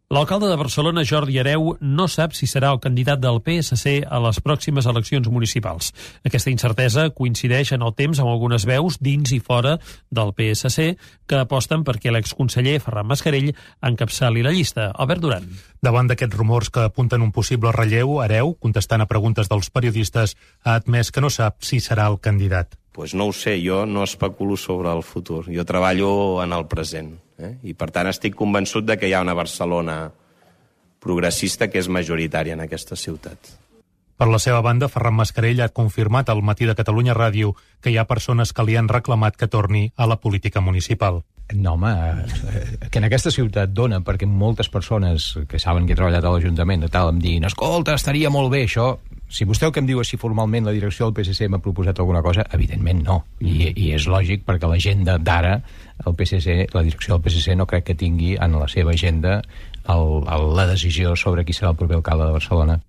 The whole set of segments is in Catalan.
L'alcalde de Barcelona, Jordi Hereu, no sap si serà el candidat del PSC a les pròximes eleccions municipals. Aquesta incertesa coincideix en el temps amb algunes veus dins i fora del PSC que aposten perquè l'exconseller Ferran Mascarell encapçali la llista. Albert Duran. Davant d'aquests rumors que apunten un possible relleu, Hereu, contestant a preguntes dels periodistes, ha admès que no sap si serà el candidat. Pues no ho sé, jo no especulo sobre el futur. Jo treballo en el present. I per tant estic convençut de que hi ha una Barcelona progressista que és majoritària en aquesta ciutat. Per la seva banda, Ferran Mascarell ha confirmat al Matí de Catalunya Ràdio que hi ha persones que li han reclamat que torni a la política municipal. No, home, que en aquesta ciutat dona perquè moltes persones que saben que he treballat a l'Ajuntament em diguin, escolta, estaria molt bé això. Si vostè el que em diu és si formalment la direcció del PSC m'ha proposat alguna cosa, evidentment no. I és lògic perquè l'agenda d'ara, el PSC, la direcció del PSC no crec que tingui en la seva agenda la decisió sobre qui serà el proper alcalde de Barcelona.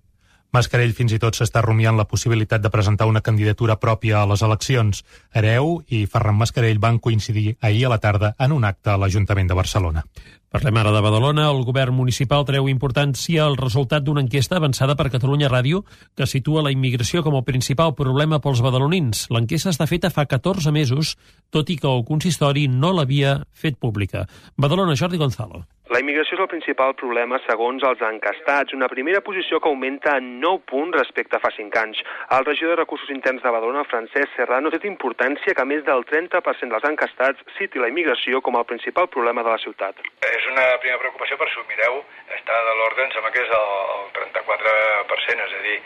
Mascarell fins i tot s'està rumiant la possibilitat de presentar una candidatura pròpia a les eleccions. Hereu i Ferran Mascarell van coincidir ahir a la tarda en un acte a l'Ajuntament de Barcelona. Parlem ara de Badalona. El govern municipal treu importància al resultat d'una enquesta avançada per Catalunya Ràdio que situa la immigració com el principal problema pels badalonins. L'enquesta està feta fa 14 mesos, tot i que el consistori no l'havia fet pública. Badalona, Jordi Gonzalo. La immigració és el principal problema segons els encastats, una primera posició que augmenta en 9 punts respecte a fa 5 anys. El regidor de Recursos Interns de Badalona, Francesc Serrano, té importància que més del 30% dels encastats citi la immigració com el principal problema de la ciutat. És una primera preocupació, però si ho mireu, està de l'ordre, em sembla que és el 34%, és a dir,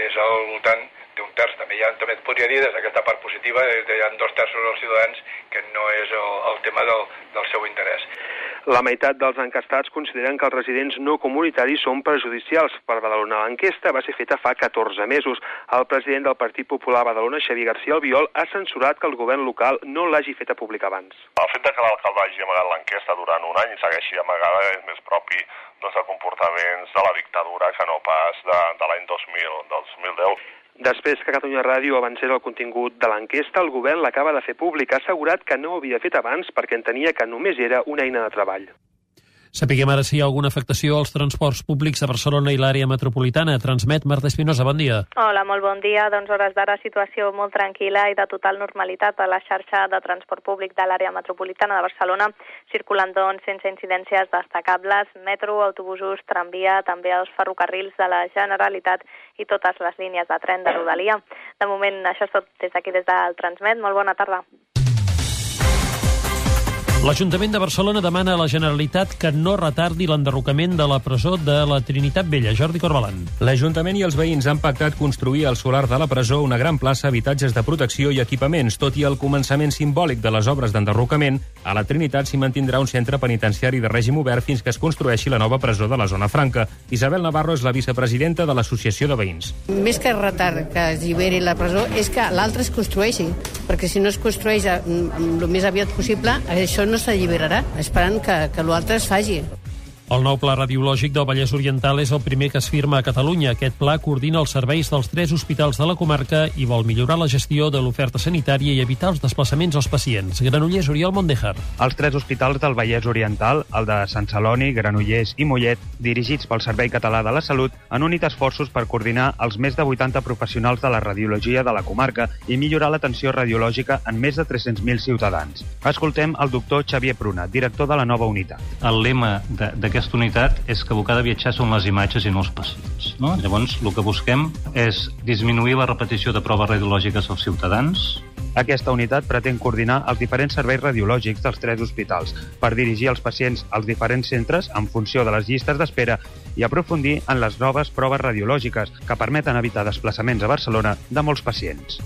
és al voltant d'un terç. També et podria dir, des d'aquesta part positiva, hi ha 2/3 dels ciutadans que no és el tema del seu interès. La meitat dels encastats consideren que els residents no comunitaris són perjudicials per Badalona. L'enquesta va ser feta fa 14 mesos. El president del Partit Popular a Badalona, Xavier García Albiol, ha censurat que el govern local no l'hagi feta pública abans. El fet que l'alcalde hagi amagat l'enquesta durant un any i segueixi amagada és més propi de comportaments de la dictadura que no pas de l'any 2010. Després que Catalunya Ràdio avancés el contingut de l'enquesta, el govern l'acaba de fer públic. Ha assegurat que no ho havia fet abans perquè entenia que només era una eina de treball. Sapiguem ara si hi ha alguna afectació als transports públics a Barcelona i l'àrea metropolitana. Transmet Marta Espinosa, bon dia. Hola, molt bon dia. Doncs hores d'ara situació molt tranquil·la i de total normalitat a la xarxa de transport públic de l'àrea metropolitana de Barcelona, circulant doncs sense incidències destacables, metro, autobusos, tramvia, també els ferrocarrils de la Generalitat i totes les línies de tren de Rodalia. De moment, això és tot des d'aquí, des del Transmet. Molt bona tarda. L'Ajuntament de Barcelona demana a la Generalitat que no retardi l'enderrocament de la presó de la Trinitat Vella. Jordi Corbalan. L'Ajuntament i els veïns han pactat construir al solar de la presó una gran plaça, habitatges de protecció i equipaments. Tot i el començament simbòlic de les obres d'enderrocament, a la Trinitat s'hi mantindrà un centre penitenciari de règim obert fins que es construeixi la nova presó de la Zona Franca. Isabel Navarro és la vicepresidenta de l'Associació de Veïns. Més que retard que es lliberi la presó és que l'altra es construeixi, perquè si no es construeix el més aviat possible, això no s'alliberarà, esperant que l'altre es faci. El nou pla radiològic del Vallès Oriental és el primer que es firma a Catalunya. Aquest pla coordina els serveis dels 3 hospitals de la comarca i vol millorar la gestió de l'oferta sanitària i evitar els desplaçaments als pacients. Granollers, Oriol Mondejar. Els 3 hospitals del Vallès Oriental, el de Sant Celoni, Granollers i Mollet, dirigits pel Servei Català de la Salut, han unit esforços per coordinar els més de 80 professionals de la radiologia de la comarca i millorar l'atenció radiològica en més de 300.000 ciutadans. Escoltem el doctor Xavier Pruna, director de la nova unitat. El lema d'aquesta unitat és que el que ha de viatjar són les imatges i no els pacients. No? Llavors, el que busquem és disminuir la repetició de proves radiològiques als ciutadans. Aquesta unitat pretén coordinar els diferents serveis radiològics dels 3 hospitals per dirigir els pacients als diferents centres en funció de les llistes d'espera i aprofundir en les noves proves radiològiques que permeten evitar desplaçaments a Barcelona de molts pacients.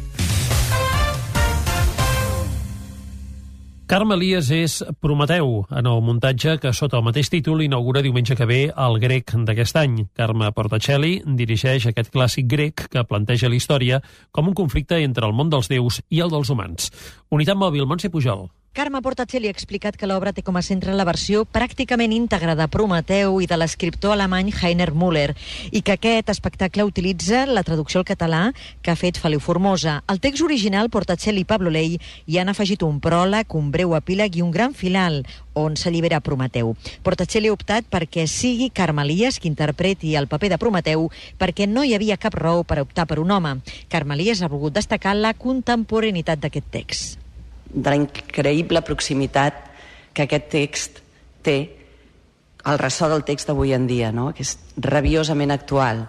Carme Elias és Prometeu, en el muntatge que sota el mateix títol inaugura diumenge que ve el grec d'aquest any. Carme Portacelli dirigeix aquest clàssic grec que planteja la història com un conflicte entre el món dels déus i el dels humans. Unitat Mòbil, Montse Pujol. Carme Portacelli ha explicat que l'obra té com a centre la versió pràcticament íntegra de Prometeu i de l'escriptor alemany Heiner Müller, i que aquest espectacle utilitza la traducció al català que ha fet Feliu Formosa. Al text original, Portacelli i Pablo Ley hi han afegit un pròleg, un breu epíleg i un gran final on s'allibera Prometeu. Portacelli ha optat perquè sigui Carme Elias qui interpreti el paper de Prometeu, perquè no hi havia cap raó per optar per un home. Carme Elias ha volgut destacar la contemporaneïtat d'aquest text. De la increïble proximitat que aquest text té al ressò del text d'avui en dia, no? Que és rabiosament actual,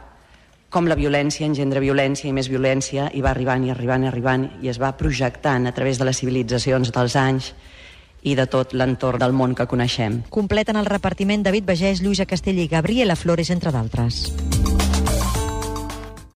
com la violència engendra violència i més violència, i va arribant i arribant i arribant, i es va projectant a través de les civilitzacions dels anys i de tot l'entorn del món que coneixem. Completen el repartiment David Bagès, Lluïsa Castell i Gabriela Flores, entre d'altres.